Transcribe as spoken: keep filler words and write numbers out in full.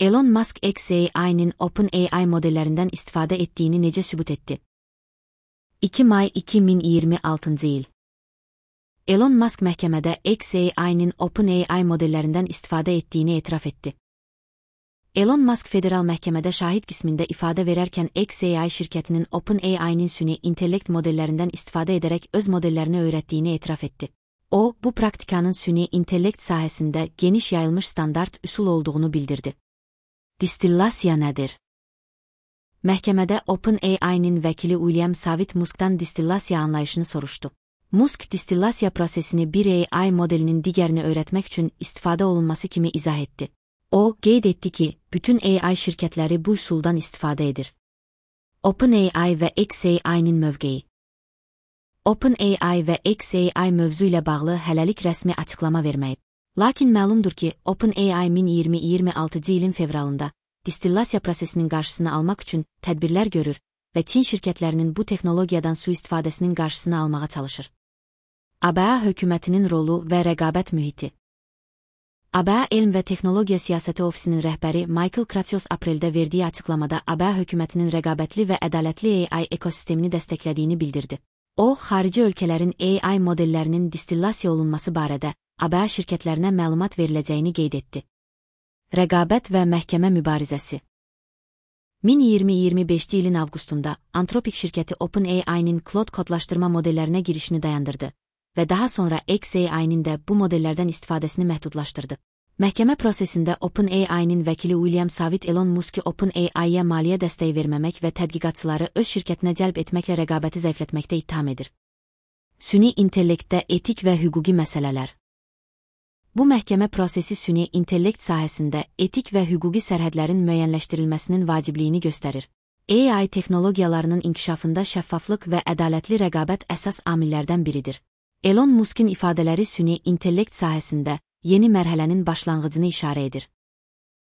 Elon Musk X A I'nin OpenAI modellerinden istifade ettiğini nece sübut etti? iki may iki min iyirmi altıncı yıl. Elon Musk məhkəmədə X A I'nin OpenAI modellerinden istifade ettiğini etiraf etti. Elon Musk federal məhkəmədə şahid qismində ifadə verərkən X A I şirkətinin OpenAI'nin süni intellekt modellerinden istifade ederek öz modellerini öğrettiğini etiraf etti. O, bu praktikanın süni intellekt sahəsində geniş yayılmış standart üsul olduğunu bildirdi. Distillasiya nədir? Məhkəmədə OpenAI'nin vəkili William Savit Musk'dan distillasiya anlayışını soruşdu. Musk distillasiya prosesini bir A I modelinin digərini öğretmek üçün istifadə olunması kimi izah etdi. O, qeyd etdi ki, bütün A I şirkətləri bu üsuldan istifadə edir. OpenAI və X A I'nin mövqeyi. OpenAI və X A I mövzu ilə bağlı hələlik rəsmi açıqlama verməyib. Lakin məlumdur ki, OpenAI min iyirmi iyirmi altıncı ilin fevralında distillasiya prosesinin qarşısını almaq üçün tədbirlər görür və Çin şirkətlərinin bu texnologiyadan sui-istifadəsinin qarşısını almağa çalışır. A B A hökumətinin rolu və rəqabət mühiti. A B A Elm və Texnologiya Siyasəti Ofisinin rəhbəri Michael Kratsios apreldə verdiyi açıqlamada A B A hökumətinin rəqabətli və ədalətli A I ekosistemini dəstəklədiyini bildirdi. O, xarici ölkələrin A I modellərinin distillasiya olunması barədə A B A şirkətlərinə məlumat veriləcəyini qeyd etdi. Rəqabət və məhkəmə mübarizəsi. min iyirmi iyirmi beşinci ilin avqustunda Anthropic şirkəti OpenAI'nin Claude kodlaşdırma modellərinə girişini dayandırdı və daha sonra X A I'nin də bu modellərdən istifadəsini məhdudlaşdırdı. Məhkəmə prosesində OpenAI'nin vəkili William Savit Elon Musk'ı OpenAI'yə maliyyə dəstəyi verməmək və tədqiqatçıları öz şirkətinə cəlb etməklə rəqabəti zəiflətməkdə ittiham edir. Süni intellektdə etik və hüquqi məsələlər. Bu məhkəmə prosesi süni intellekt sahəsində etik və hüquqi sərhədlərin müəyyənləşdirilməsinin vacibliyini göstərir. A I texnologiyalarının inkişafında şəffaflıq və ədalətli rəqabət əsas amillərdən biridir. Elon Musk'ın ifadələri süni intellekt sahəsində yeni mərhələnin başlanğıcını işarə edir.